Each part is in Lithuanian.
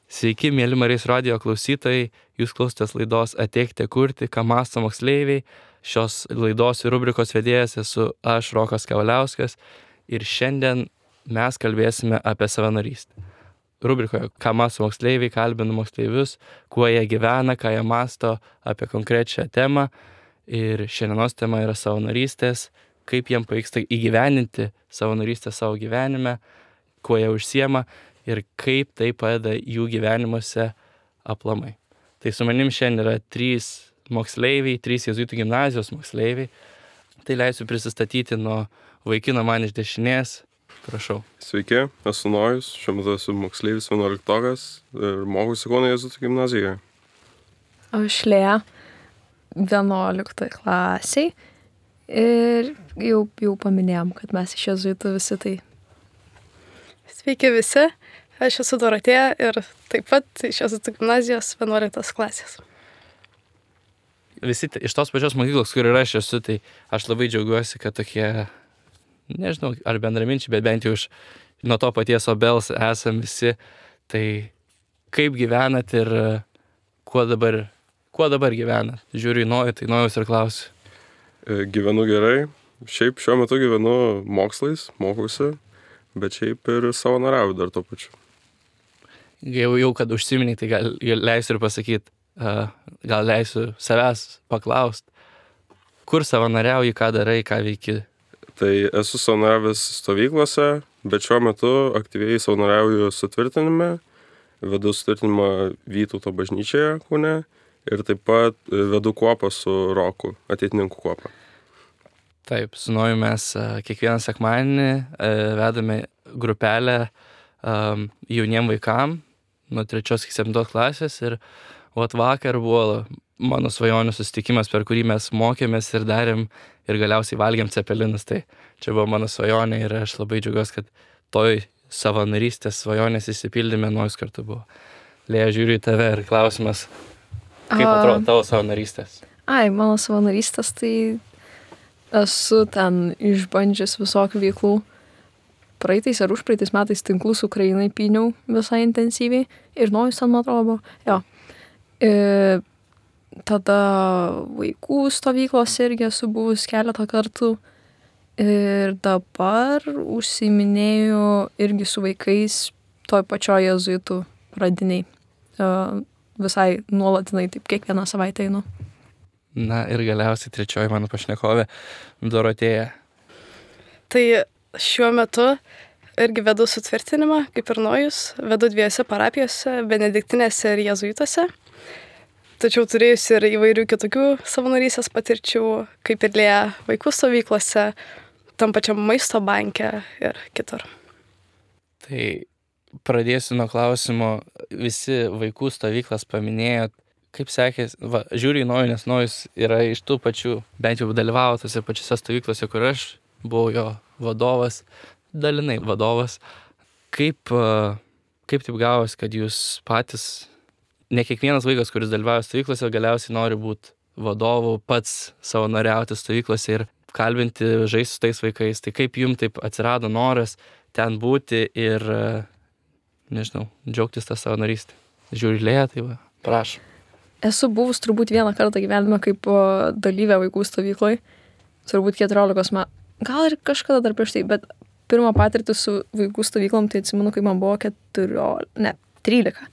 Sveiki, mėly Marijos radijo klausytojai, jūs klausotės laidos Ateikite kurti, ką mąsto moksleiviai. Šios laidos ir rubrikos vedėjas esu aš, Rokas Kavaliauskas, ir šiandien mes kalbėsime apie savanorystę. Rubrikoje, ką mąsto moksleiviai, kalbinu moksleivius, kuo jie gyvena, ką jie mąsto apie konkrečią temą. Ir šiandienos tema yra savanorystės, kaip jiem pavyksta įgyveninti savanorystę savo gyvenime, kuo jie užsiema ir kaip tai padeda jų gyvenimuose aplamai. Tai su manim šiandien yra 3 moksleiviai, 3 jėzuitų gimnazijos moksleiviai. Tai leisiu prisistatyti nuo vaikino man iš dešinės. Prašau. Sveiki, esu Nojus, šiuo metu esu moksleivis 11-okas ir mokuosi Kauno jėzuitų gimnazijoje. Aš Lėja, 11 klasiai ir jau paminėjom, kad mes iš jėzuitų visi tai. Sveiki visi, aš esu Dorotėja ir taip pat iš jėzuitų gimnazijos 11 klasės. Visi iš tos pačios mokyklos, kur ir aš esu, tai aš labai džiaugiuosi, kad tokie, nežinau, ar bendraminčiai, bet bent jau nuo to paties obels esam visi. Tai kaip gyvenat ir kuo dabar gyvenat? Žiūriu į Nojų, tai Nojus ir klausiu. Gyvenu gerai, šiaip šiuo metu gyvenu mokslais, mokuosi, bet šiaip ir savanoriauju dar tuo pačiu. Jau kad užsiminiai, tai gal leisiu ir pasakyti, gal leisiu savęs paklausti, kur savanoriauji, ką darai, ką veiki? Tai esu savanoriavęs stovyklose, bet šiuo metu aktyviai savanoriauju sutvirtinime, vedu sutvirtinimą Vytauto bažnyčioje Kaune ir taip pat vedu kuopą su Roku, ateitininkų kuopą. Taip, su Noju mes kiekvieną sekmadienį vedame grupelę jauniem vaikam nuo 3 iki 7 klasės ir vakar buvo mano svajonių susitikimas, per kurį mes mokėmės ir darėm ir galiausiai valgėm cepelinus. Tai čia buvo mano svajonė ir aš labai džiaugiuosi, kad toj savanorystės svajonės išsipildyme Nojus kartu buvo. Lėja, žiūriu į tave ir klausimas, kaip atrodo tavo savanorystės? Mano savanorystės, tai esu ten išbandžius visokių veiklų. Praeitais ar užpraeitais metais tinklus Ukrainai pyniau visai intensyviai ir Nojus ten, man atrodo, jo. Tada vaikų stovyklos irgi esu buvus keletą kartų ir dabar užsiiminėju irgi su vaikais toj pačioj jėzuitų pradiniai. Visai nuolatinai, taip kiekvieną savaitę einu. Na ir galiausiai 3 mano pašnekovė, Dorotėja. Tai šiuo metu irgi vedu sutvirtinimą, kaip ir Nojus, vedu 2 parapijose, benediktinėse ir jėzuituose. Tačiau turėjusi ir įvairių kitokių savanorystės patirčių, kaip ir Lėja vaikų stovyklose, tam pačiam maisto banke ir kitur. Tai pradėsiu nuo klausimo, visi vaikų stovyklas paminėjot, kaip sekėsi, žiūriu į Nojų, nes Nojus yra iš tų pačių, bent jau dalyvavo tose pačiose stovyklose, kur aš buvau jo vadovas, dalinai vadovas. Kaip taip gavosi, kad jūs patys, ne kiekvienas vaikas, kuris dalyvauja stovyklose, galiausiai nori būti vadovu, pats savanoriauti stovyklose ir kalbinti, žaisti su tais vaikais. Tai kaip jums taip atsirado noras ten būti ir, nežinau, džiaugtis tą savanorystę? Žiūri Lėja, tai va, prašau. Esu buvus turbūt vieną kartą gyvenime kaip dalyvė vaikų stovykloj, turbūt 14 metų, gal ir kažkada dar prieš tai, bet pirmą patirtį su vaikų stovyklom, tai atsimenu, kai man buvo 13.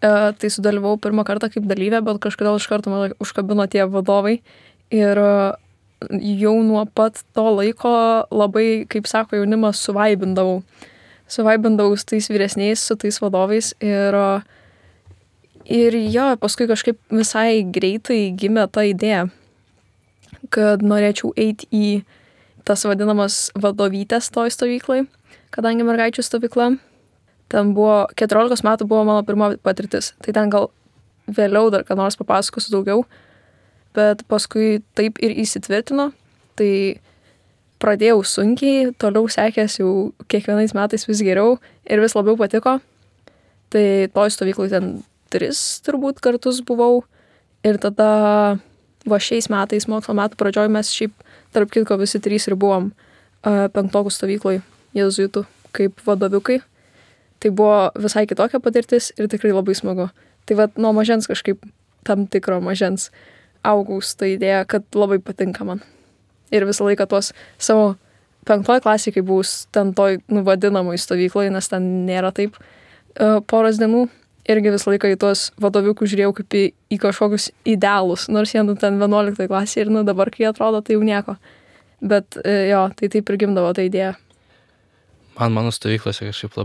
Tai sudalyvau pirmą kartą kaip dalyvė, bet kažkodėl iš karto man užkabino tie vadovai ir jau nuo pat to laiko labai, kaip sako jaunimas, suvaibindavau su tais vyresniais, su tais vadovais ir jo, paskui kažkaip visai greitai gimė ta idėja, kad norėčiau eiti į tas vadinamas vadovytės toj stovyklai, kadangi mergaičių stovykla. Ten buvo, 14 metų buvo mano pirma patirtis, tai ten gal vėliau dar ką nors papasakosiu daugiau, bet paskui taip ir įsitvirtino, tai pradėjau sunkiai, toliau sekės jau kiekvienais metais vis geriau ir vis labiau patiko. Tai toj stovyklai ten 3 turbūt kartus buvau ir tada šiais metais, mokslo metų pradžioj mes šiaip tarp kitko visi 3 ir buvom 5 stovykloj jėzuitų kaip vadoviukai. tai buvo visai kitokia patirtis ir tikrai labai smagu. Tai vat nuo mažens kažkaip tam tikro mažens augau su ta idėja, kad labai patinka man. Ir visą laiką tuos savo 5 klasėje, kai buvau ten toj vadinamoj stovykloje, nes ten nėra taip poros dienų, irgi visą laiką į tuos vadoviukus žiūrėjau kaip į kažkokius idealus, nors jie ten 11 klasėje ir dabar, kai atrodo, tai jau nieko. Bet jo, tai taip ir gimdavo ta idėja. Mano stovyklose kažkaip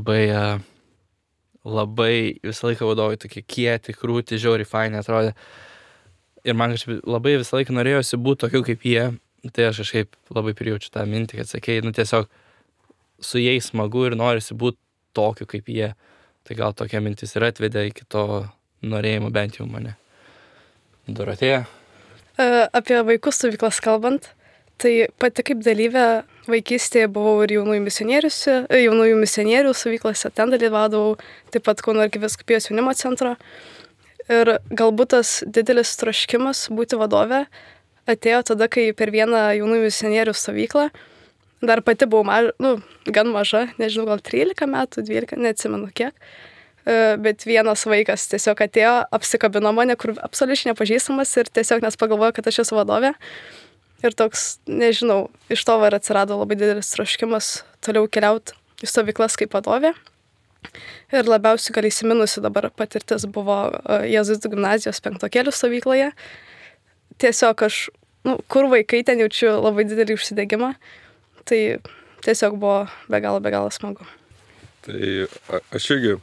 labai visą laiką vadovai tokie kieti, krūti, žiauriai faini atrodė. Ir man kažkaip labai visą laiką norėjosi būti tokiu kaip jie. Tai aš kažkaip labai prijaučiu tą mintį, kad sakei, tiesiog su jais smagu ir norisi būti tokiu kaip jie. Tai gal tokia mintis ir atvedė iki to norėjimo bent jau mane. Dorotėja? Apie vaikų stovyklas kalbant, tai pati kaip dalyvė vaikystėje buvau ir jaunųjų misionierių stovyklose, ten dalyvaudavau, taip pat Kauno arkivyskupijos jaunimo centro. Ir galbūt tas didelis troškimas būti vadove atėjo tada, kai per vieną jaunųjų misionierių stovyklą, dar pati buvau gan maža, nežinau, gal 13 metų, 12, neatsimenu kiek, bet vienas vaikas tiesiog atėjo, apsikabino mane, kur absoliučiai nepažįstamas ir tiesiog nes pagalvojo, kad aš esu vadovė. Ir toks, nežinau, iš to ir atsirado labai didelis troškimas toliau keliauti į stovyklas kaip vadovė. Ir labiausiai gal įsiminusi dabar patirtis buvo Jėzuitų gimnazijos 5 stovykloje. Tiesiog aš, kur vaikai, ten jaučiu labai didelį užsidegimą. Tai tiesiog buvo be galo smagu. Tai aš irgi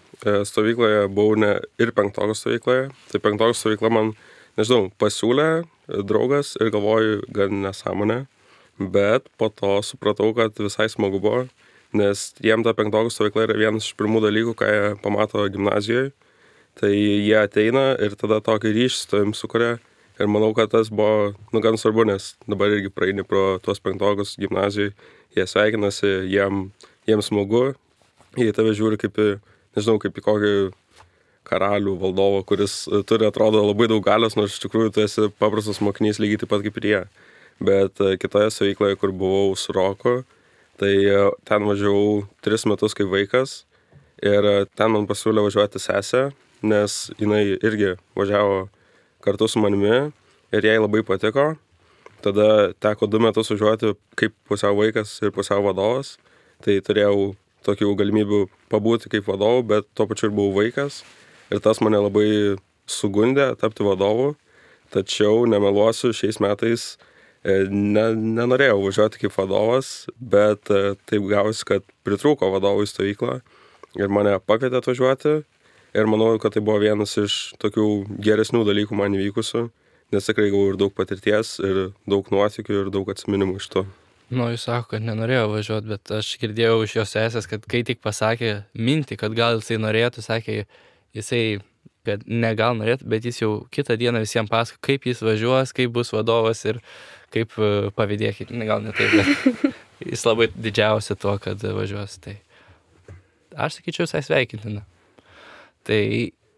stovykloje buvau ir 5 stovykloje. Tai 5 stovykla man, nežinau, pasiūlė draugas ir galvoju gan nesąmonę. Bet po to supratau, kad visai smagu buvo, nes jiem ta 5 stovykla yra vienas iš pirmų dalykų, ką jie pamato gimnazijoje. Tai jie ateina ir tada tokį ryšį su tavim sukuria. Ir manau, kad tas buvo gan svarbu, nes dabar irgi praeini pro tuos 5 gimnazijai, jie sveikinasi, jiem smagu, jie tave žiūri kaip į kokį karalių valdovą, kuris turi, atrodo, labai daug galios, nors iš tikrųjų tu esi paprastas mokinys lygiai taip pat kaip ir jie. Bet kitoje stovykloje, kur buvau su Roku, tai ten važiavau 3 metus kaip vaikas ir ten man pasiūlė važiuoti sesę, nes jinai irgi važiavo kartu su manimi ir jai labai patiko. Tada teko 2 metus važiuoti kaip pusiau vaikas ir pusiau vadovas. Tai turėjau tokių galimybių pabūti kaip vadovu, bet tuo pačiu ir buvau vaikas. Ir tas mane labai sugundė tapti vadovu. Tačiau nemeluosiu, šiais metais nenorėjau važiuoti kaip vadovas, bet taip gavosi, kad pritrūko vadovų į stovyklą ir mane pakvietė atvažiuoti. Ir manau, kad tai buvo vienas iš tokių geresnių dalykų man įvykusių, nes tikrai gavau ir daug patirties, ir daug nuotykių, ir daug atsiminimų iš to. Jis sako, kad nenorėjo važiuoti, bet aš girdėjau iš jos sesės, kad kai tik pasakė mintį, kad gal jisai norėtų, sakė jisai, kad negal norėtų, bet jis jau kitą dieną visiems pasako, kaip jis važiuos, kaip bus vadovas ir kaip pavydėkit, gal ne taip, bet jis labai didžiausia tuo, kad važiuos. Tai aš sakyčiau, visai sveikintina. Tai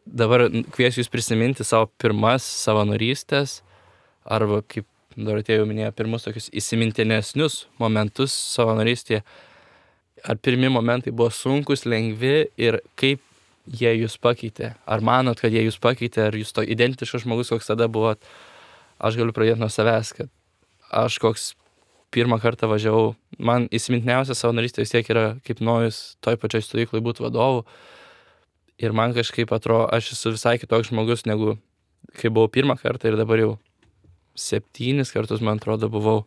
dabar kviesiu jūs prisiminti savo pirmas savanorystės arba, kaip Dorotėja jau minėjo, pirmus tokius įsimintinesnius momentus savanorystėje. Ar pirmi momentai buvo sunkus, lengvi ir kaip jie jūs pakeitė? Ar manot, kad jie jūs pakeitė, ar jūs to identiškas žmogus, koks tada buvot? Aš galiu pradėti nuo savęs, kad aš koks pirmą kartą važiavau, man įsimintiniausia savanorystė vis tiek yra kaip nojus toj pačioj stovyklai būti vadovu. Ir man kažkaip atrodo, aš esu visai kitoks žmogus, negu kai buvau pirmą kartą ir dabar jau 7 kartus, man atrodo, buvau.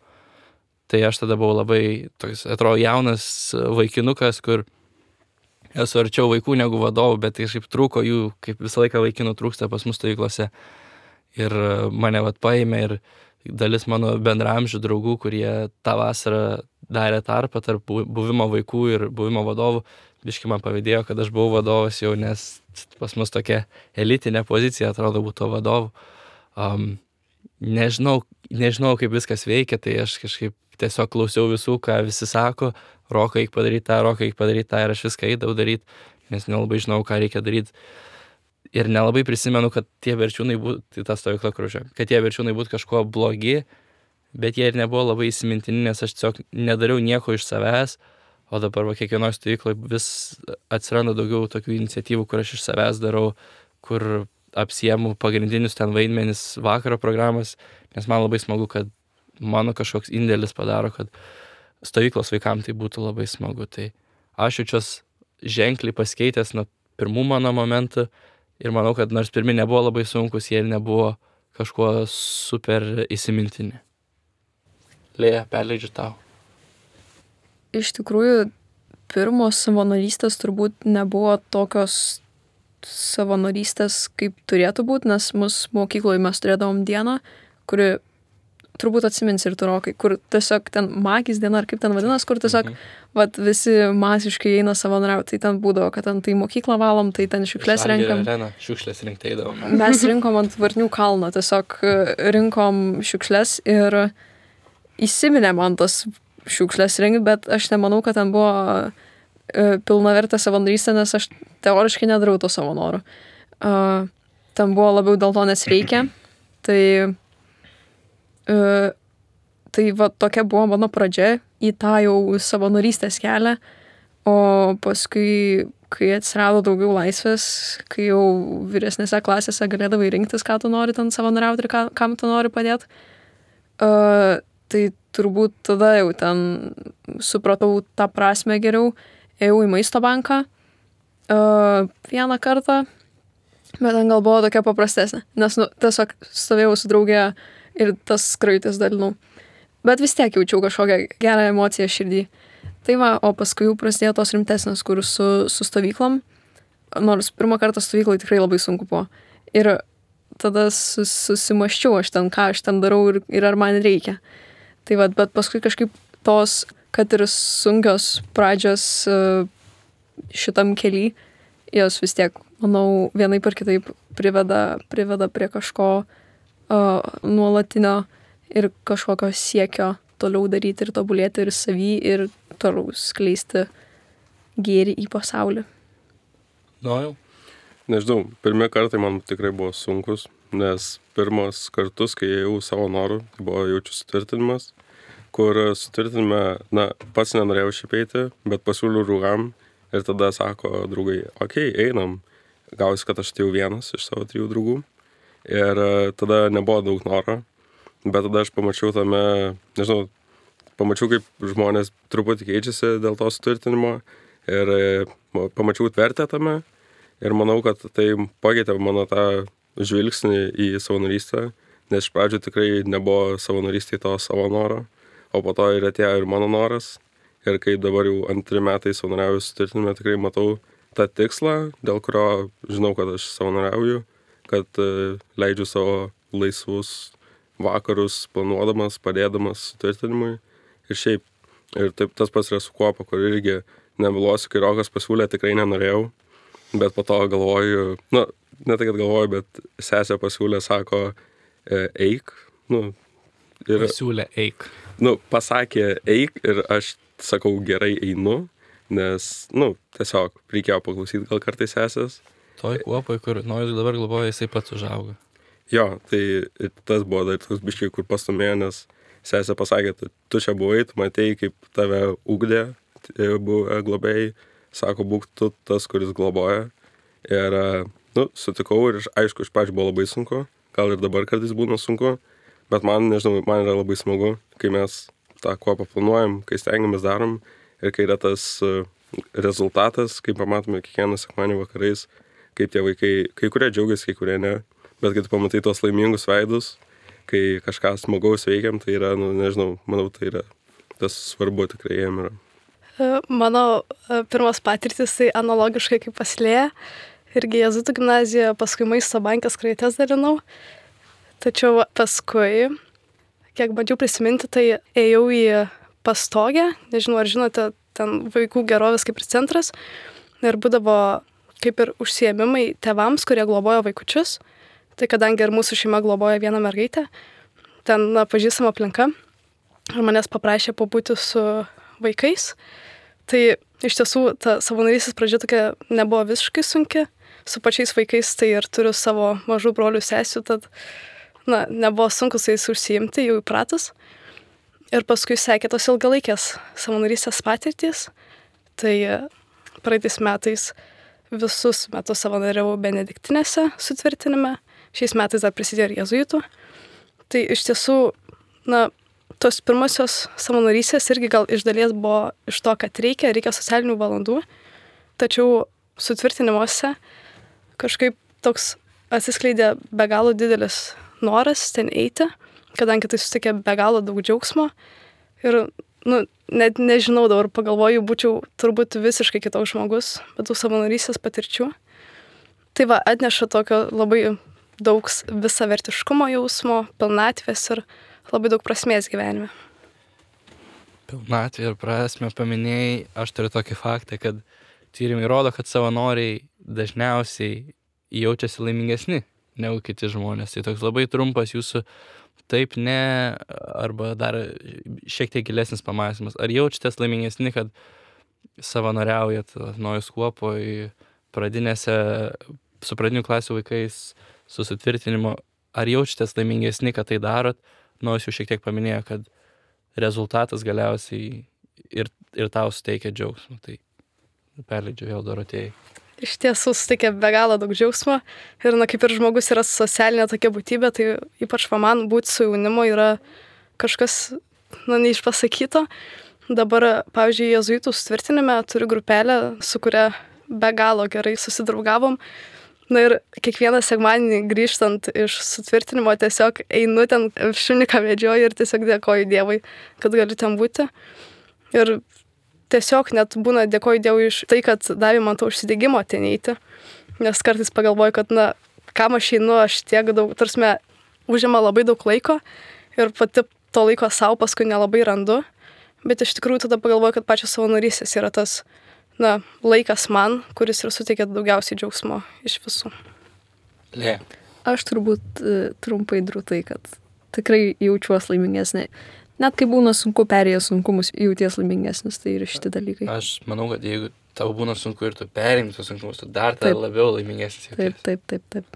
Tai aš tada buvau labai toks, atrodo, jaunas vaikinukas, kur esu arčiau vaikų negu vadovų, bet kažkaip trūko jų, kaip visą laiką vaikinų trūksta pas mus stovyklose. Ir mane paėmė ir dalis mano bendramžių draugų, kurie tą vasarą darė tarpą tarp buvimo vaikų ir buvimo vadovų. Biškai man pavydėjo, kad aš buvau vadovas jau, nes pas mus tokia elitinė pozicija atrodo būtų vadovų. Nežinau, kaip viskas veikia, tai aš kažkaip tiesiog klausiau visų, ką visi sako, Rokai, eik padaryti tą ir aš viską eidavau daryti, nes nelabai žinau, ką reikia daryti. Ir nelabai prisimenu, kad tie verčiūnai būtų, ta stovykla kružė, kad tie verčiūnai būtų kažkuo blogi, bet jie ir nebuvo labai įsimintini, nes aš tiesiog nedariau nieko iš savęs. o dabar kiekvienoje stovykloje vis atsiranda daugiau tokių iniciatyvų, kur aš iš savęs darau, kur apsiemu pagrindinius ten vaidmenis vakaro programas, nes man labai smagu, kad mano kažkoks indėlis padaro, kad stovyklos vaikams tai būtų labai smagu. Tai aš jaučiuos ženkliai pasikeitęs nuo pirmų mano momentų ir manau, kad nors pirmi nebuvo labai sunkus, jie nebuvo kažkuo super įsimintini. Lėja, perleidžiu tau. Iš tikrųjų, pirmos savanorystės turbūt nebuvo tokios savanorystės, kaip turėtų būti, nes mus mokykloje mes turėdavom dieną, kuri turbūt atsimins ir tu, Rokai, kur tiesiog ten magijos diena, ar kaip ten vadinas, kur tiesiog vat, visi masiškai eina savanoriauti. Tai ten būdavo, kad ten tai mokyklą valom, tai ten šiukšles renkam. Šiukšles rinkti eidavom. Mes rinkom ant Varnių kalno, tiesiog rinkom šiukšles ir įsiminė man tas šiukšles rinkti, bet aš nemanau, kad ten buvo pilnavertė savanorystė, nes aš teoriškai nedarau to savanorių. Ten buvo labiau dėl to, nes reikia. Tai va tokia buvo mano pradžia į tą jau savanorystės kelią, o paskui, kai atsirado daugiau laisvės, kai jau vyresnėse klasėse galėdavai rinktis, ką tu nori ten savanoriauti ir kam tu nori padėti, tai turbūt tada jau ten supratau tą prasme geriau, ėjau į maisto banką vieną kartą, bet ten gal buvo tokia paprastesnė, nes tiesiog stovėjau su draugė ir tas skraitis dalinau. Bet vis tiek jaučiau kažkokią gerą emociją širdį. Tai va, o paskui jau prasidėjo tos rimtesnės, kur su stovyklom, nors pirmą kartą stovyklai tikrai labai sunku buvo. Ir tada susimaščiau aš ten, ką aš ten darau ir ar man reikia. Tai va, bet paskui kažkaip tos, kad ir sunkios pradžios šitam kely, jos vis tiek, manau, vienaip ar kitaip priveda prie kažko nuolatinio ir kažkokio siekio toliau daryti ir tobulėti ir savy ir toliau skleisti gėrį į pasaulį. Jau. Nežinau, pirmie kartai man tikrai buvo sunkus, nes pirmas kartus, kai ėjau savo norų, tai buvo jaučiu sutvirtinimas, kur sutvirtinime, pats nenorėjau šiaip eiti, bet pasiūliau draugam ir tada sako draugai, okei, einam. Gausi, kad aš atėjau vienas iš savo 3 draugų. Ir tada nebuvo daug noro, bet tada aš pamačiau pamačiau, kaip žmonės truputį keičiasi dėl to sutvirtinimo ir pamačiau vertę tame ir manau, kad tai pakeitė mano tą žvilgsnį į savanorystę, nes iš pradžių tikrai nebuvo savanorystėje to savo noro, o po to ir atėjo ir mano noras ir kai dabar jau 2 metai savanoriauju sutvirtinime, tikrai matau tą tikslą, dėl kurio žinau, kad aš savanoriauju, kad leidžiu savo laisvus vakarus planuodamas, padėdamas sutvirtinimui. Ir šiaip, ir taip tas pats yra su Kuopa, kur irgi nevilosiu, kai Rokas pasiūlė, tikrai nenorėjau, bet po to galvoju, ne tai, kad galvoju, bet sesė pasiūlė, sako, eik, Pasiūlė eik. Pasakė eik ir aš sakau, gerai einu, nes, tiesiog reikėjo paklausyti gal kartais sesės. Toj Kuopoj, kur Nojus dabar globoja, jisai pats užaugo. Jo, tai tas buvo dar toks biškiai, kur pastumėjo, nes sesė pasakė, tu čia buvai, tu matėjai, kaip tave ugdė, buvo globėjai, sako, būk tu tas, kuris globoja. Ir, sutikau ir aišku, iš pradžių buvo labai sunku, gal ir dabar kartais būna sunku, bet man yra labai smagu, kai mes tą Kuopą planuojam, kai stengiamės darom ir kai yra tas rezultatas, kai pamatome kiekvieną sekmadienį vakarais, kaip tie vaikai, kai kurie džiaugiasi, kai kurie ne, bet kai tu pamatai tos laimingus veidus, kai kažką smagaus veikiam, tai yra, manau, tai yra tas svarbu tikrai jiem yra. Mano pirmas patirtis tai analogiškai kaip pas Lėją, irgi Jėzuitų gimnazijoje, paskui maisto banke skraites dalinau, tačiau paskui, kiek bandžiau prisiminti, tai ėjau į Pastogę, nežinau, ar žinote, ten vaikų gerovės kaip ir centras, ir būdavo kaip ir užsiėmimai tėvams, kurie globojo vaikučius. Tai kadangi ir mūsų šeima globoja vieną mergaitę, ten pažįstama aplinka, ir manęs paprašė pabūti su vaikais. Tai iš tiesų ta savanorystės pradžia tokia nebuvo visiškai sunki, su pačiais vaikais tai ir turiu savo mažų brolių sesių, tad nebuvo sunku su jais užsiimti, jau įpratus. Ir paskui sekė tos ilgalaikės savanorystės patirtys, Tai praeitais metais visus metus savanoriavau benediktinėse sutvirtinime, šiais metais dar prisidėjo ir jėzuitų. Tai iš tiesų, tos pirmosios savanorystės irgi gal iš dalies buvo iš to, kad reikia socialinių valandų, tačiau sutvirtinimuose kažkaip toks atsiskleidė be galo didelis noras ten eiti, kadangi tai sutikė be galo daug džiaugsmo ir, net nežinau, dabar pagalvoju, būčiau turbūt visiškai kitoks žmogus, bet tų savanorystės patirčių. Tai atneša tokio labai daug visavertiškumo jausmo, pilnatvės ir labai daug prasmės gyvenime. Pilnatvė ir prasmę paminėjai, aš turiu tokį faktą, kad tyrimai rodo, kad savanoriai dažniausiai jaučiasi laimingesni negu kiti žmonės. Tai toks labai trumpas jūsų taip ne, arba dar šiek tiek gilesnis pamąstymas. Ar jaučiatės laimingesni, kad savanoriaujat Nojus kuopoj, su pradinių klasių vaikais, su sutvirtinimu? Ar jaučiatės laimingesni, kad tai darot? Nojus jau šiek tiek paminėjo, kad rezultatas galiausiai ir tau suteikia džiaugsmą. Tai perleidžiu vėl Dorotėjai. Iš tiesų suteikia be galo daug džiaugsmo ir, kaip ir žmogus yra socialinė tokia būtybė, tai ypač man būti su jaunimu yra kažkas, neišpasakyto. Dabar, pavyzdžiui, jėzuitų sutvirtinime turiu grupelę, su kuria be galo gerai susidraugavom. Ir kiekvieną sekmadienį grįžtant iš sutvirtinimo tiesiog einu ten, šuniką vedžioju ir tiesiog dėkoju Dievui, kad galiu ten būti. Ir tiesiog net būna dėkoju Dievui iš tai, kad davė man to užsidegimo ten eiti. Nes kartais pagalvoju, kad, kam aš einu, aš tiek daug, tarsi užima labai daug laiko ir pati to laiko savo paskui nelabai randu. Bet iš tikrųjų tada pagalvoju, kad pačios savanorystės yra tas, laikas man, kuris ir suteikia daugiausiai džiaugsmo iš visų. Lė. Aš turbūt trumpai drūtai, kad tikrai jaučiuos laimingesnė. Net kai būna sunku perėjęs sunkumus, jauties laimingesnis, tai ir šitie dalykai. Aš manau, kad jeigu tau būna sunku ir tu perėjai tos sunkumus, tu dar labiau laimingesnis jauties. Taip.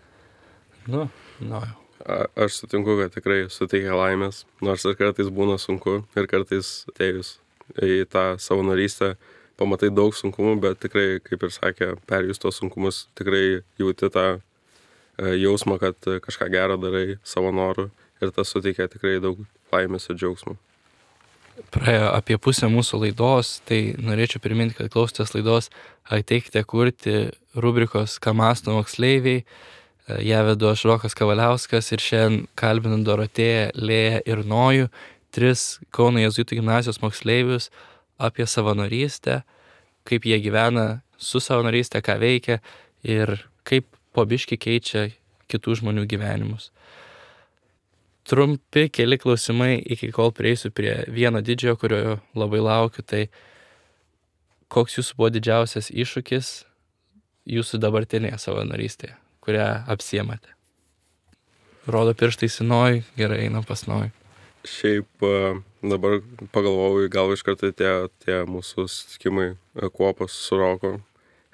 Aš sutinku, kad tikrai suteikia laimės, nors ir kartais būna sunku ir kartais atėjus į tą savanorystę pamatai daug sunkumų, bet tikrai, kaip ir sakė, perėjus tos sunkumus, tikrai jauti tą jausmą, kad kažką gerą darai savo noru ir tas suteikia tikrai daug laimės ir džiaugsmų. Praėjo apie pusę mūsų laidos, tai norėčiau priminti, kad klausotės laidos Ateikite kurti rubrikos Ką mąsto moksleiviai. Ją vedu aš Rokas Kavaliauskas ir šiandien kalbinu Dorotėją, Lėją ir Nojų, 3 Kauno jėzuitų gimnazijos moksleivius apie savanorystę, kaip jie gyvena su savanorystė, ką veikia ir kaip po biškį keičia kitų žmonių gyvenimus. Trumpi keli klausimai, iki kol prieisiu prie vieno didžiojo, kurio labai laukiu, tai koks jūsų buvo didžiausias iššūkis jūsų dabartinėje savanorystėje, kurią apsiemate? Rodo pirštais į Nojų, gerai, einam pas Nojų. Šiaip dabar pagalvojau, gal iš karto tie mūsų susitikimai kuopos su Roku.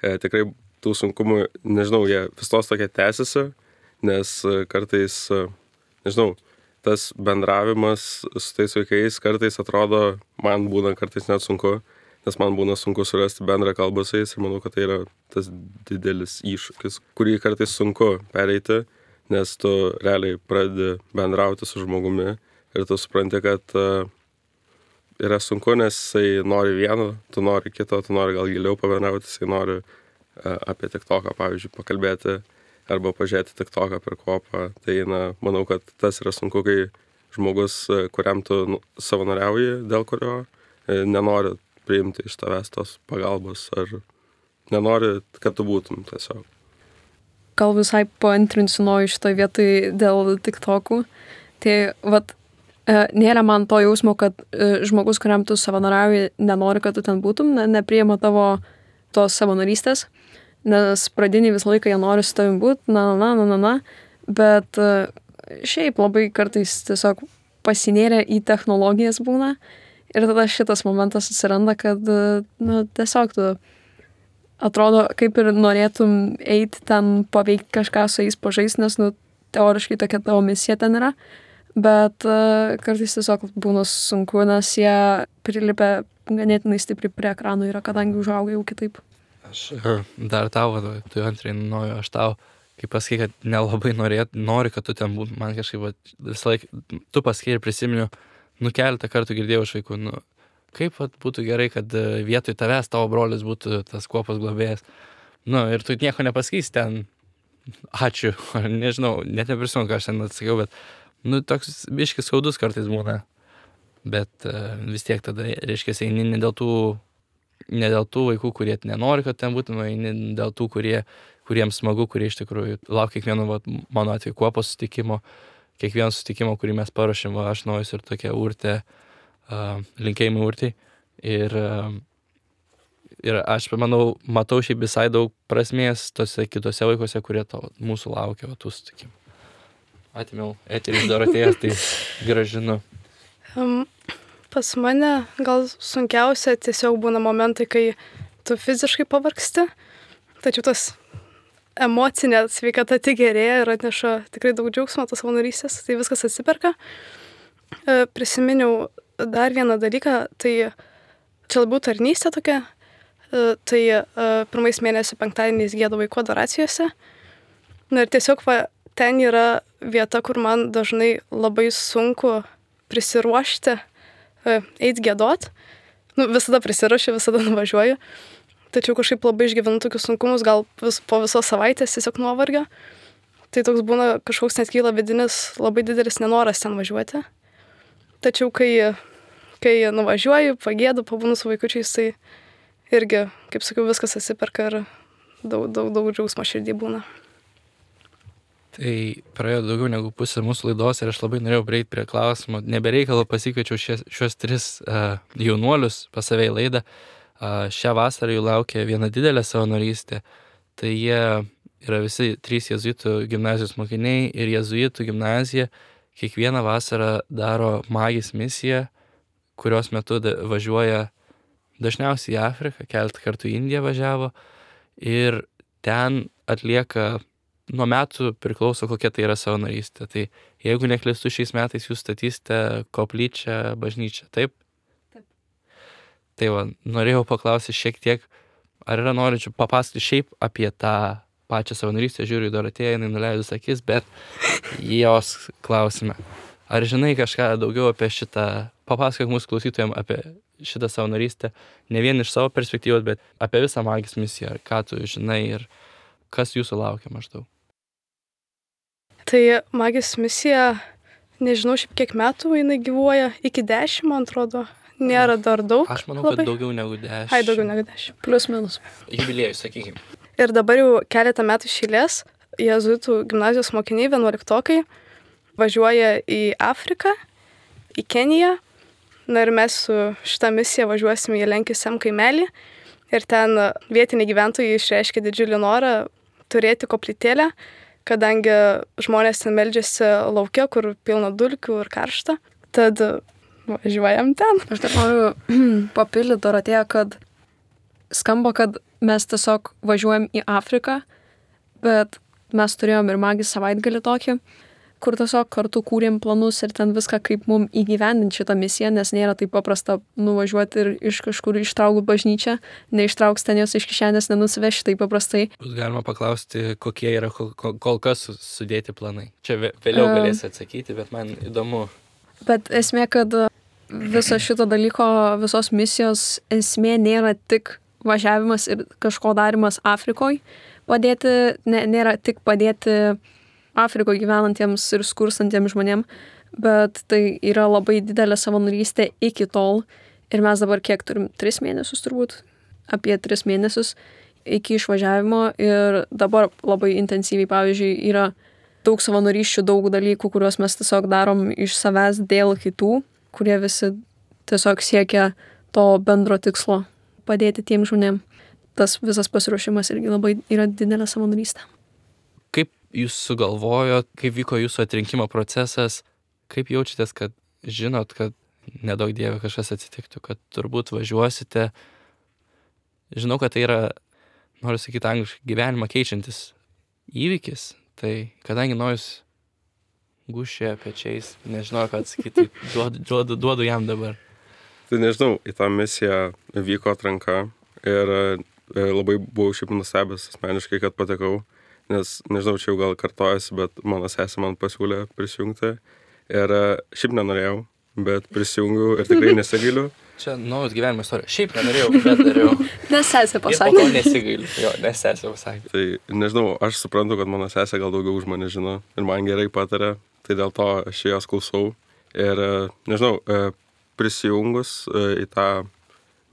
Tikrai tų sunkumų, nežinau, jie vis tos tokie tęsiasi, nes kartais, nežinau, tas bendravimas su tais vaikais kartais atrodo, man būna kartais net sunku, nes man būna sunku surasti bendrą kalbą su jais ir manau, kad tai yra tas didelis iššūkis, kurį kartais sunku pereiti, nes tu realiai pradedi bendrauti su žmogumi ir tu supranti, kad yra sunku, nes jisai nori vieno, tu nori kito, tu nori gal giliau pabendrauti, jisai nori apie TikToką, pavyzdžiui, pakalbėti arba pažiūrėti TikToką per kuopą. Tai, manau, kad tas yra sunku, kai žmogus, kuriam tu savanoriauji, dėl kurio nenori priimti iš tavęs tos pagalbos ar nenori, kad tu būtum tiesiog. Gal visai paantrinsiu Nojų šitoj vietoj dėl TikTokų. Tai nėra man to jausmo, kad žmogus, kuriam tu savanoriauji, nenori, kad tu ten būtum, nepriima tavo tos savanorystės, nes pradiniai visą laiką jie nori su tavim būt, bet šiaip labai kartais tiesiog pasinėrė į technologijas būna ir tada šitas momentas atsiranda, kad tiesiog tu atrodo, kaip ir norėtum eiti ten paveikti kažką su jais pažaisti, nes teoriškai tokia tavo misija ten yra. Bet kartais tiesiog būna sunku, nes jie prilipia ganėtinai stipriai prie ekranų yra, kadangi užauga jau kitaip. Aš dar tau, tu antrai nuoju, aš tau, kai pasakai, kad nelabai nori, kad tu ten būtum, man kažkaip visą laiką, tu pasakai ir prisiminiu, keletą kartų girdėjau iš vaikų, kaip būtų gerai, kad vietoj tavęs tavo brolis būtų tas kuopos globėjas. Ir tu nieko nepasakysi ten, ačiū, nežinau, net neprisimenu, ką aš ten atsakiau, bet toks biškis skaudus kartais būna. Bet vis tiek tada, reiškia, eini ne dėl tų vaikų, kurie nenori, kad ten būtum, eini dėl tų, kuriems smagu, kurie iš tikrųjų laukia kiekvieno, mano atveju, kuopos susitikimo, kiekvieno susitikimo, kurį mes paruošėm, aš Nojus ir tokia Urtė, linkėjimai Urtei. Ir aš, manau, matau šiaip visai daug prasmės tose kitose vaikuose, kurie mūsų laukia, tų susitikimų. Atimiau eterį iš Dorotėjos, tai gražinu. Pas mane gal sunkiausia tiesiog būna momentai, kai tu fiziškai pavargsti, tačiau tas emocinė sveikata tik gerėja ir atneša tikrai daug džiaugsmo tos savanorystės, tai viskas atsiperka. Prisiminiau dar vieną dalyką, tai čia labiau tarnystė tokia, tai pirmais mėnesio penktadieniais gėdu vaikų adoracijose. Ir tiesiog ten yra vieta, kur man dažnai labai sunku prisiruošti, eit giedot. Visada prisiruošiu, visada nuvažiuoju. Tačiau kažkaip labai išgyvenu tokius sunkumus, gal po visos savaitės tiesiog nuovargio. Tai toks būna kažkoks net kyla vidinis labai didelis nenoras ten važiuoti. Tačiau kai nuvažiuoju, pagėdu, pabūnu su vaikučiais, tai irgi, kaip sakiau, viskas atsiperka ir daug džiaugsmo širdį būna. Tai praėjo daugiau negu pusė mūsų laidos ir aš labai norėjau prieiti prie klausimo. Nebereikalo pasikviečiau šios 3 jaunuolius pas save į laidą. Šią vasarą jų laukia viena didelė savanorystė. Tai jie yra visi 3 jėzuitų gimnazijos mokiniai ir jėzuitų gimnazija kiekvieną vasarą daro Magis misiją, kurios metu važiuoja dažniausiai į Afriką, keletą kartų į Indiją važiavo ir ten atlieka nuo metų priklauso, kokia tai yra savanorystė. Tai jeigu neklystu, šiais metais jūs statysite koplyčią, bažnyčią, taip? Taip. Tai norėjau paklausyti šiek tiek, ar yra norinčių papasakoti šiaip apie tą pačią savanorystę, žiūriu į Dorotėją, jinai nuleidus akis, bet jos klausime. Ar žinai kažką daugiau apie šitą, papasakok mūsų klausytojams apie šitą savanorystę, ne vien iš savo perspektyvos, bet apie visą Magis misiją, ką tu žinai ir kas jūsų laukia maždaug. Tai Magis misija, nežinau šiaip kiek metų jinai gyvuoja, iki 10, man atrodo, nėra dar daug. Aš manau, labai. kad daugiau negu 10. Ai, daugiau negu 10. Plius minus. Jubiliejus, sakykime. Ir dabar jau keletą metų iš eilės jėzuitų gimnazijos mokiniai, 11-okai, važiuoja į Afriką, į Keniją. Ir mes su šitą misiją važiuosime į Lenkisem kaimelį. Ir ten vietiniai gyventojai išreiškė didžiulį norą turėti koplytėlę, kadangi žmonės ten meldžiasi lauke, kur pilna dulkių ir karšta. Tad važiuojam ten. Aš dar noriu papildyti Dorotėją, kad skamba, kad mes tiesiog važiuojam į Afriką, bet mes turėjom ir Magis savaitgalį tokį, kur tiesiog kartu kūrėm planus ir ten viską, kaip mum įgyvendinti šitą misiją, nes nėra taip paprasta nuvažiuoti ir iš kažkur ištraukti bažnyčią, neištrauks ten jos iš kišenės, nenusiveši taip paprastai. Bus galima paklausti, kokie yra kol kas sudėti planai. Čia vėliau galėsi atsakyti, bet man įdomu. Bet esmė, kad viso šito dalyko, visos misijos esmė nėra tik važiavimas ir kažko darimas Afrikoje, nėra tik padėti Afrikoje gyvenantiems ir skurstantiems žmonėm, bet tai yra labai didelė savanorystė iki tol. Ir mes dabar kiek turim? 3 mėnesius turbūt, apie 3 mėnesius iki išvažiavimo. Ir dabar labai intensyviai, pavyzdžiui, yra daug savanorysčių, daug dalykų, kuriuos mes tiesiog darom iš savęs dėl kitų, kurie visi tiesiog siekia to bendro tikslo padėti tiem žmonėm. Tas visas pasiruošimas irgi labai yra didelė savanorystė. Kaip jūs sugalvojot, kaip vyko jūsų atrinkimo procesas, kaip jaučiatės, kad žinot, kad nedaug dieve kažkas atsitiktų, kad turbūt važiuosite. Žinau, kad tai yra, noriu sakyti angliškai, gyvenimą keičiantis įvykis, tai kadangi Nojus gūžčioja pečiais, nežinau, ką atsakyti, duodu jam dabar. Tai nežinau, į tą misiją vyko atranka ir labai buvau šiaip nustebęs asmeniškai, kad patekau, nes nežinau, čia jau gal kartojasi, bet mano sesė man pasiūlė prisijungti ir šiaip nenorėjau, bet prisijungiau ir tikrai nesigailiu. Čia naujas gyvenimo istorija. Šiaip nenorėjau, bet dariau. Nes sesė Ir po pasakė. to nesigailiu. Jo, nes sesė pasakė. Tai nežinau, aš suprantu, kad mano sesė gal daugiau už mane žino ir man gerai patarė, tai dėl to aš jos klausau. Ir nežinau, prisijungus į tą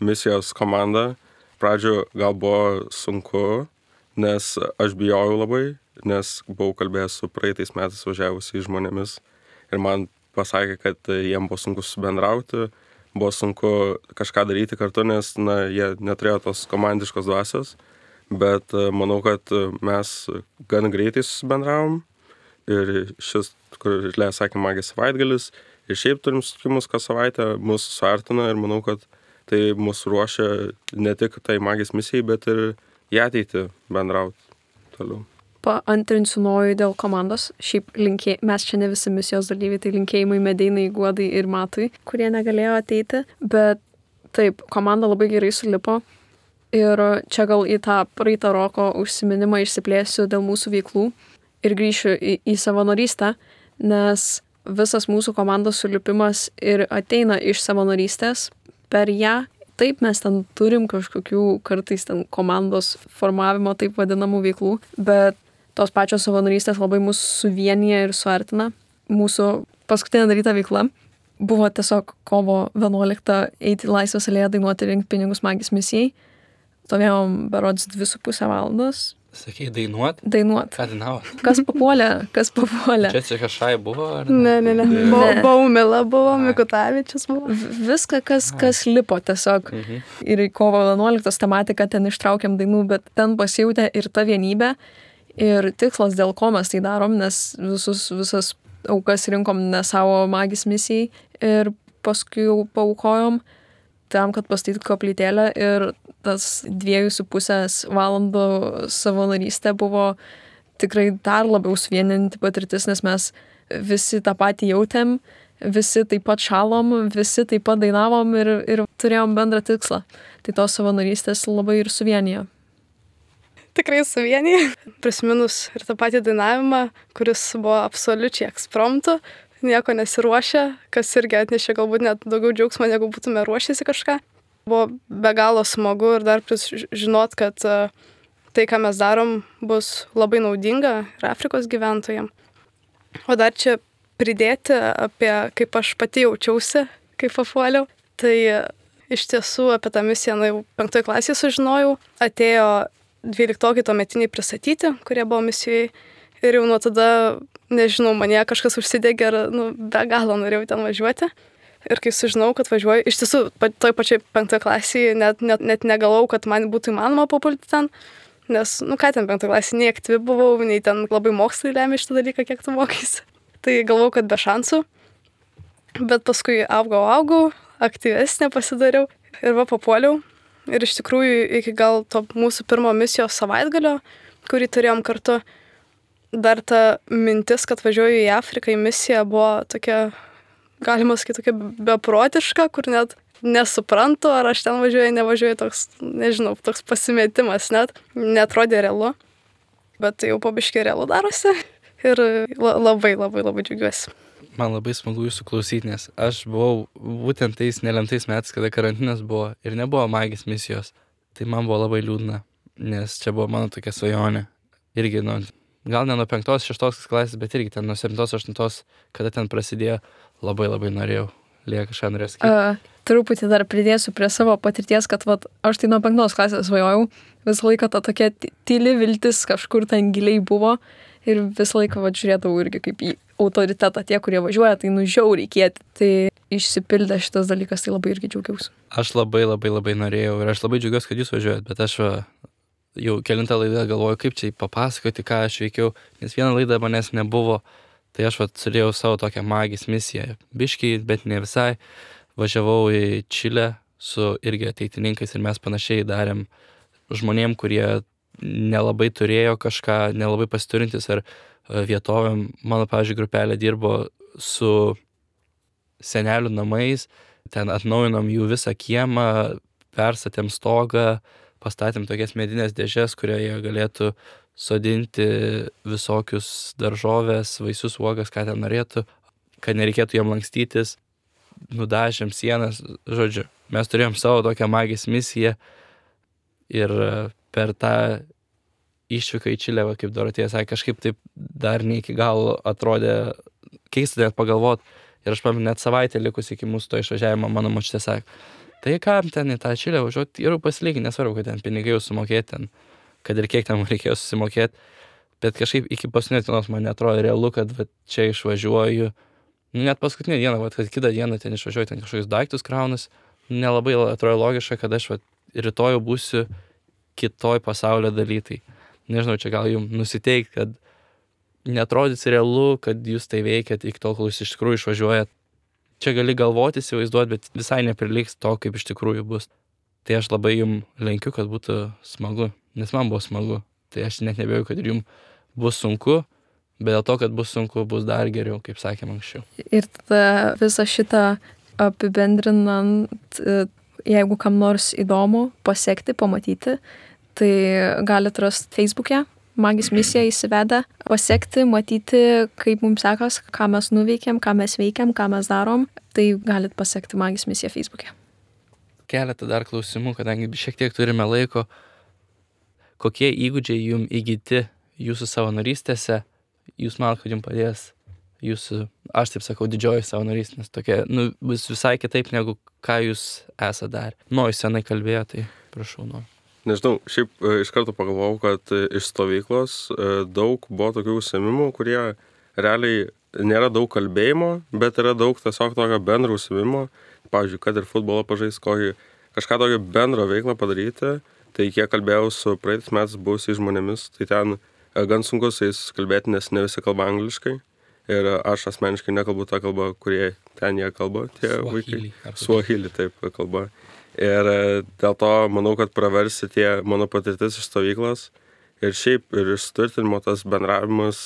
misijos komandą, pradžio gal buvo sunku, nes aš bijojau labai, nes buvau kalbėjęs su praeitais metais važiavusiais žmonėmis ir man pasakė, kad jiem buvo sunku subendrauti, buvo sunku kažką daryti kartu, nes jie neturėjo tos komandiškos dvasios, bet manau, kad mes gan greitai susibendravom ir šis, kur Lėja sakė, magijos savaitgalis, ir šiaip turim susitikimus kas savaitę, mus suartina ir manau, kad tai mus ruošia ne tik tai magijos misijai, bet ir į ateitį bendrauti toliau. Paantrinsiu Nojui dėl komandos. Šiaip mes čia ne visi misijos dalyviai, tai linkėjimai Medeinai, Guodai ir Matui, kurie negalėjo ateiti. Bet taip, komanda labai gerai sulipo. Ir čia gal į tą praeitą Roko užsiminimą išsiplėsiu dėl mūsų veiklų ir grįšiu į savanorystę, nes visas mūsų komandos sulipimas ir ateina iš savanorystės per ją. Taip, mes ten turim kažkokių kartais ten komandos formavimo taip vadinamų veiklų, bet tos pačios savanorystės labai mus suvienyje ir suartina. Mūsų paskutinė daryta veikla buvo tiesiog kovo 11 eiti į Laisvės alėją dainuoti ir rinkti pinigus magijos misijai. Stovėjom berods 2,5 valandos. Sakei, dainuot? Dainuot. Ką dainavo? Kas papuolė? Čia kažkai buvo? Ar Ne. Baumila buvo, Mikutavičius buvo. Viską, kas lipo tiesiog. Ir į kovo 11 tematiką ten ištraukėm dainų, bet ten pasijautė ir ta vienybė. Ir tikslas, dėl ko mes tai darom, nes visas aukas rinkom ne savo magijos misijai ir paskui jau paaukojom tam, kad pastatytų koplytėlę ir tas 2,5 valandų savanorystė buvo tikrai dar labiau suvieninti patirtis, nes mes visi tą patį jautėm, visi taip pat šalom, visi taip pat dainavom ir turėjom bendrą tikslą. Tai tos savanorystės labai ir suvienijo. Tikrai suvienyje. Prisiminus ir tą patį dainavimą, kuris buvo absoliučiai ekspromtu, nieko nesiruošę, kas irgi atnešė galbūt net daugiau džiaugsmo, negu būtume ruošėsi kažką. Buvo be galo smagu ir dar žinot, kad tai, ką mes darom, bus labai naudinga ir Afrikos gyventojams. O dar čia pridėti apie kaip aš pati jaučiausi, kai papuoliau. Tai iš tiesų apie tą misiją jau 5 klasėje sužinojau. Atėjo 12 tuometiniai pristatyti, kurie buvo misijoje. Ir jau nuo tada, nežinau, mane kažkas užsidegė ir be galo norėjau ten važiuoti. Ir kai sužinau, kad važiuoju, iš tiesų, toj pačiai 5 klasėje net negalvojau, kad man būtų įmanoma papulti ten. Nes, ką ten 5 klasėje, nei aktyvi buvau, nei ten labai mokslai lemia šitą dalyką, kiek tu mokaisi. Tai galvojau, kad be šansų. Bet paskui augau, aktyvesnė pasidariau ir papuoliau. Ir iš tikrųjų, iki gal to mūsų pirmo misijos savaitgalio, kurį turėjom kartu, dar ta mintis, kad važiuoju į Afriką į misiją, buvo tokia, galima sakyti, tokia beprotiška, kur net nesuprantu, ar aš ten važiuoju, nevažiuoju, toks, nežinau, toks pasimetimas net, netrodė realu. Bet jau po biškį realu darosi ir labai džiaugiuosi. Man labai smagu jūsų klausyti, nes aš buvau būtent tais nelemtais metais, kada karantinas buvo ir nebuvo magijos misijos. Tai man buvo labai liūdna, nes čia buvo mano tokia svajonė. Irgi, gal ne nuo 5-6 klasės, bet irgi ten nuo 7-8, kada ten prasidėjo, labai norėjau. Lėja kažką norės sakyti. Truputį dar pridėsiu prie savo patirties, kad aš tai nuo 5 klasės svajojau. Visą laiką ta tokia tyli viltis kažkur ten giliai buvo. Ir visą laiką žiūrėdavau irgi kaip į autoritetą tie, kurie važiuoja, tai žiauriai kieti. Tai išsipildė šitas dalykas, tai labai irgi džiaugiausi. Aš labai norėjau ir aš labai džiaugiuosi, kad jūs važiuojat, bet aš jau kelintą laidą galvoju, kaip čia papasakoti, ką aš veikiau, nes vieną laidą manęs nebuvo, tai aš turėjau savo tokią magijos misiją. Biškį, bet ne visai. Važiavau į Čilę su irgi ateitininkais ir mes panašiai darėm žmonėm, kurie nelabai turėjo kažką, nelabai pasiturintis ar vietovėm. Mano, pavyzdžiui, grupelė dirbo su senelių namais ten atnaujinom jų visą kiemą, perstatėm stogą, pastatėm tokias medinės dėžes, kurioje galėtų sodinti visokius daržovės, vaisius, uogas, ką ten norėtų, kad nereikėtų jam lankstytis, nudažėm sienas, žodžiu. Mes turėjom savo tokią magijos misiją ir per tą išvyką į Čilę, kaip Dorotėja sakė, kažkaip taip dar ne iki galo atrodė keista net pagalvot. Ir aš pamenu, net savaitę likus iki mūsų to išvažiavimo, mano močiutė sakė, tai kam ten į tą Čilę važiuoti, ir pasilygi, nesvarbu, kad ten pinigai jau sumokėti, ten, kad ir kiek ten reikėjo susimokėti, bet kažkaip iki paskutinės dienos man netrodo realu, kad va, čia išvažiuoju. Net paskutinę dieną, va, kad kitą dieną ten išvažiuoju, ten kažkokius daiktus kraunas, nelabai atrodo logiška, kad aš va, rytoj būsiu kitoj pasaulio daly. Tai nežinau, čia gal jums nusiteikti, kad netrodys realu, kad jūs tai veikiat iki tol, kol jūs iš tikrųjų išvažiuojat. Čia gali galvoti, įsivaizduoti, bet visai nepriliks to, kaip iš tikrųjų bus. Tai aš labai jums linkiu, kad būtų smagu, nes man buvo smagu. Tai aš net nebėjau, kad ir jums bus sunku, bet dėl to, kad bus sunku, bus dar geriau, kaip sakėm anksčiau. Ir tada visą šitą apibendrinant, jeigu kam nors įdomu pasekti, pamatyti, tai galite rasti Facebook'e, Magijos misija įsivedę, pasekti, matyti, kaip mums sekas, ką mes nuveikėm, ką mes veikiam, ką mes darom, tai galite pasekti Magijos misiją Facebook'e. Keletą dar klausimų, kadangi šiek tiek turime laiko. Kokie įgūdžiai jums įgyti jūsų savanorystėse, jūs manot, kad jums padės jūsų, aš taip sakau, didžioji savanorystė, nes tokia, bus visai kitaip, negu ką jūs esate dar. Jūs senai kalbėjo, tai prašau, Nežinau, šiaip iš karto pagalvojau, kad iš stovyklos daug buvo tokių užsiėmimų, kurie realiai nėra daug kalbėjimo, bet yra daug tiesiog tokio bendro užsiėmimo. Pavyzdžiui, kad ir futbolą pažaisti, kažką tokio bendro veiklą padaryti. Tai kiek kalbėjau su praeitais metais buvusiais žmonėmis, tai ten gan sunku su jais kalbėti, nes ne visi kalba angliškai. Ir aš asmeniškai nekalbu tą kalbą, kurie ten jie kalba, tie vaikai. Suahili, taip, kalba. Ir dėl to manau, kad praversi tie mano patirtis iš stovyklos. Ir šiaip ir išsturtinimo tas bendravimas,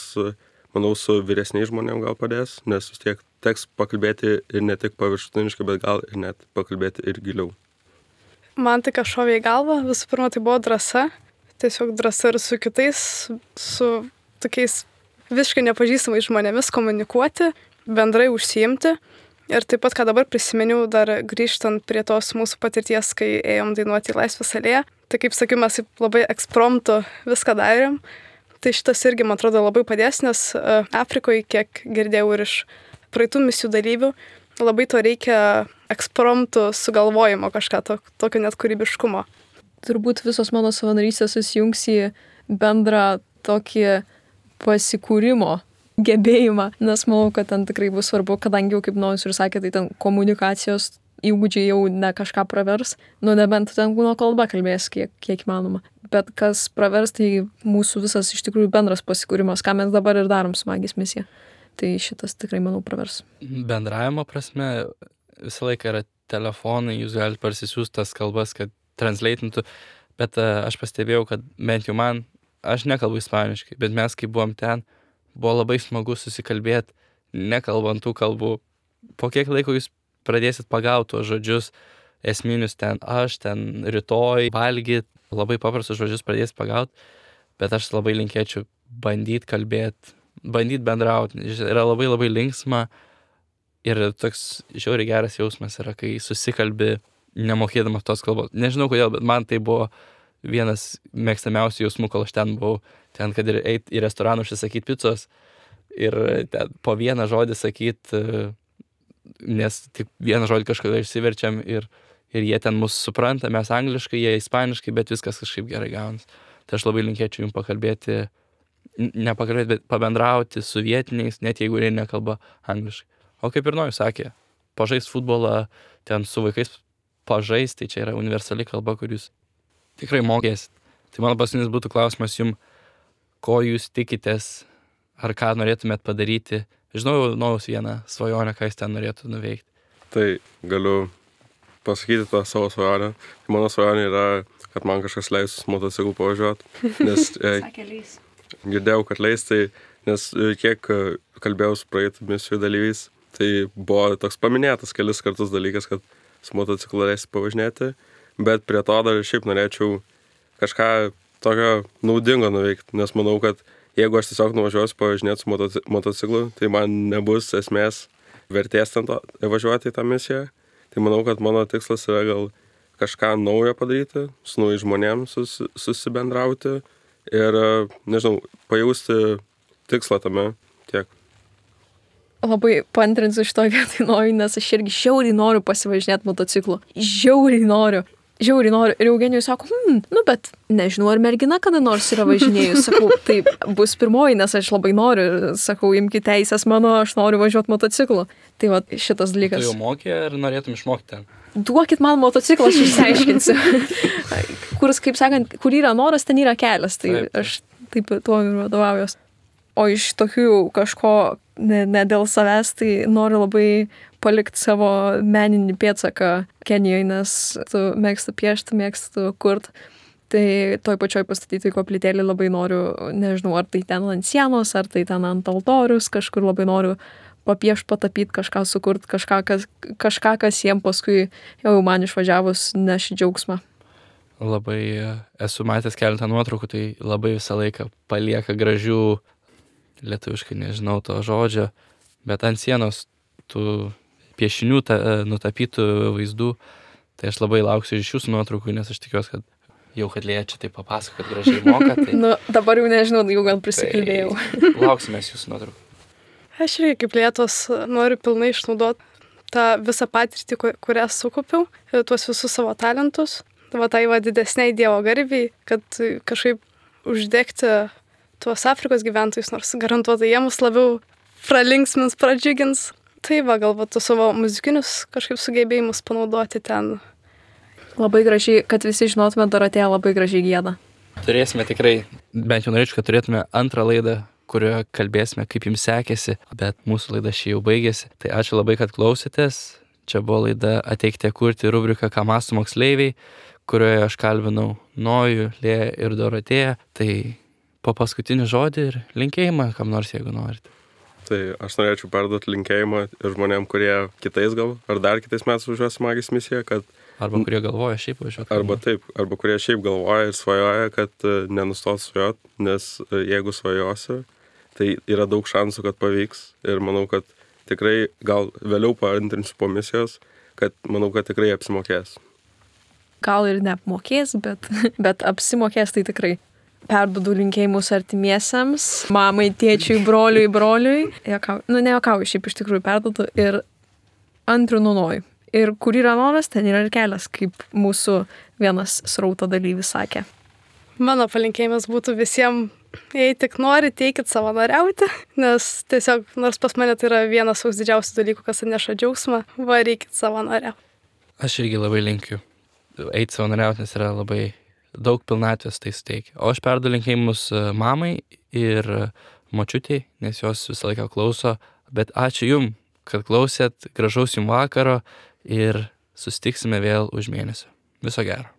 manau, su vyresniais žmonėm gal padės, nes vis tiek teks pakalbėti ir ne tik paviršutiniškai, bet gal ir net pakalbėti ir giliau. Man tai šovė į galvą, visų pirma, tai buvo drąsa. Tiesiog drąsa ir su kitais, su tokiais visiškai nepažįstamais žmonėmis komunikuoti, bendrai užsiimti. Ir taip pat, ką dabar prisiminiau, dar grįžtant prie tos mūsų patirties, kai ėjom dainuoti į Laisvės alėją, tai kaip sakiau, mes labai ekspromtu viską darėm. Tai šitas irgi, man atrodo, labai padės, nes Afrikoje, kiek girdėjau ir iš praeitų misijų dalyvių, labai to reikia ekspromtu sugalvojimo kažką, tokio net kūrybiškumo. Turbūt visos mano savanorystės susijungs į bendrą tokį pasikūrimo gebėjimą, nes manau, kad ten tikrai bus svarbu, kadangi jau, kaip Nojus ir sakė, tai ten komunikacijos įgūdžiai jau ne kažką pravers, nebent ten kūno kalba kalbės kiek įmanoma. Bet kas pravers, tai mūsų visas iš tikrųjų bendras pasikūrimas, ką mes dabar ir darom su Magijos misija. Tai šitas tikrai, manau, pravers. Bendravimo prasme visą laiką yra telefonai, jūs galite parsisiųsti tas kalbas, kad translatintų, bet aš pastebėjau, kad bent jau man, aš nekalbu ispaniškai, bet mes, kai buvom ten, buvo labai smagu susikalbėti, nekalbant tų kalbų. Po kiek laiko jūs pradėsit pagauti tuos žodžius esminius ten aš, ten rytoj, valgyt, labai paprastus žodžius pradėsit pagauti, bet aš labai linkėčiau bandyti kalbėti, bandyti bendrauti. Yra labai labai linksma ir toks žiauriai geras jausmas yra, kai susikalbi nemokėdamas tos kalbos. Nežinau kodėl, bet man tai buvo vienas mėgstamiausių jausmų, kol aš ten buvau. Ten, kad ir eit į restoraną užsisakyti picos ir ten po vieną žodį sakyti, nes tik vieną žodį kažkada išsiverčiam ir jie ten mus supranta, mes angliškai, jie ispaniškai, bet viskas kažkaip gerai gaunas. Tai aš labai linkėčiau jums pakalbėti, nepakalbėti, bet pabendrauti su vietiniais, net jeigu jie nekalba angliškai. O kaip ir Nojus sakė, pažaist futbolą, ten su vaikais pažaist, tai čia yra universali kalba, kur jūs tikrai mokėsit. Tai mano paskutinis būtų klausimas jums, ko jūs tikitės, ar ką norėtumėt padaryti. Žinau, Nojus vieną svajonę, ką jis ten norėtų nuveikti. Tai galiu pasakyti tą savo svajonę. Mano svajonė yra, kad man kažkas leis motociklu pavažiuoti, nes girdėjau, kad leis, tai nes kiek kalbėjau su praeitų misijų dalyviais, Tai buvo toks paminėtas kelis kartus dalykas, kad su motociklu leisti pavažinėti, bet prie to dar šiaip norėčiau kažką tokio naudingo nuveikti, nes manau, kad jeigu aš tiesiog nuvažiuosiu pavažinėti su motociklu, tai man nebus esmės vertės ten važiuoti į tą misiją. Tai manau, kad mano tikslas yra gal kažką naujo padaryti, su naujais žmonėms susibendrauti ir, nežinau, pajausti tikslą tame tiek. Labai paantrinsiu šitoj vietoj noriu, nes aš irgi žiauriai noriu pasivažinėti motociklu. Žiauriai noriu. Ir Eugenijus sako, bet nežinau, ar mergina kada nors yra važinėjus. Sakau, tai bus pirmoji, nes aš labai noriu. Sakau, imkite teisės mano, aš noriu važiuoti motociklu. Tai va, šitas dalykas. Tu jau mokė ar norėtum išmokti ten? Duokit man motociklą, aš išsiaiškinsiu. Kaip sakant, kur yra noras, ten yra kelias. Tai Taip. aš taip tuo ir vadovaujuos. O iš tokių kažko ne dėl savęs, tai noriu labai palikti savo meninį pėdsaką Kenijoje, nes tu mėgstu piešti, mėgstu kurt. Tai toj pačioj pastatyti koplytėlį labai noriu, nežinau, ar tai ten ant sienos, ar tai ten ant altorius, kažkur labai noriu papiešti, patapyti, kažką sukurti, kažką, kas jiem paskui jau man išvažiavus neš džiaugsmą. Labai esu matęs keletą nuotraukų, tai labai visą laiką palieka gražių, lietuviškai nežinau to žodžio, bet ant sienos tų piešinių nutapytų vaizdų, tai aš labai lauksiu iš jūsų nuotraukų, nes aš tikiuosi, kad kad Lėja čia taip papasako, kad gražiai moka. Tai... Dabar jau nežinau, jau gal prisikalbėjau. Tai lauksime jūsų nuotraukų. Aš irgi kaip Lietos noriu pilnai išnaudoti tą visą patirtį, kurią sukaupiau, tuos visus savo talentus, tai didesniai Dievo garbei, kad kažkaip uždegti tuos Afrikos gyventojus, nors garantuotai jie mus labiau pralinksmins, pradžiugins. Tai galbūt tu savo muzikinius kažkaip sugebėjimus panaudoti ten. Labai gražiai, kad visi žinotume, Dorotėja labai gražiai gieda. Turėsime tikrai, bent jau norėčiau, kad turėtume antrą laidą, kurioje kalbėsime, kaip jums sekėsi, bet mūsų laida šį jau baigėsi. Tai ačiū labai, kad klausėtės. Čia buvo laida Ateikite kurti rubrika Ką mąsto moksleiviai, kurioje aš kalbinau Nojų, Lėją ir Dorotėją. Tai po paskutinį žodį ir linkėjimą, kam nors, jeigu norite. Tai aš norėčiau perduoti linkėjimą ir žmonėm, kurie kitais ar dar kitais metais važiuos Magis misiją, kad... Arba kurie galvoja šiaip važiuoti. Arba kurie šiaip galvoja ir svajoja, kad nenustot svajot, nes jeigu svajosi, tai yra daug šansų, kad pavyks. Ir manau, kad tikrai, gal vėliau paantrinsiu po misijos, kad manau, kad tikrai apsimokės. Gal ir neapmokės, bet apsimokės tai tikrai. Perduodu linkėjimus artimiesiems, mamai, tėčiui, broliui. Nejuokauju, šiaip iš tikrųjų perduodu ir antrinu Nojų. Ir kur yra noras, ten yra ir kelias, kaip mūsų vienas srauto dalyvis sakė. Mano palinkėjimas būtų visiems, jei tik nori, teikit savanoriauti, nes tiesiog, nors pas mane tai yra vienas toks didžiausių dalykų, kas atneša džiaugsmą, varykit savanoriauti. Aš irgi labai linkiu eiti savanoriauti, nes yra labai daug pilnatvės tai suteikia. O aš perduodu linkėjimus mamai ir močiutei, nes jos visą laiką klauso. Bet ačiū jum, kad klausėt, gražaus jum vakaro ir susitiksime vėl už mėnesio. Viso gero.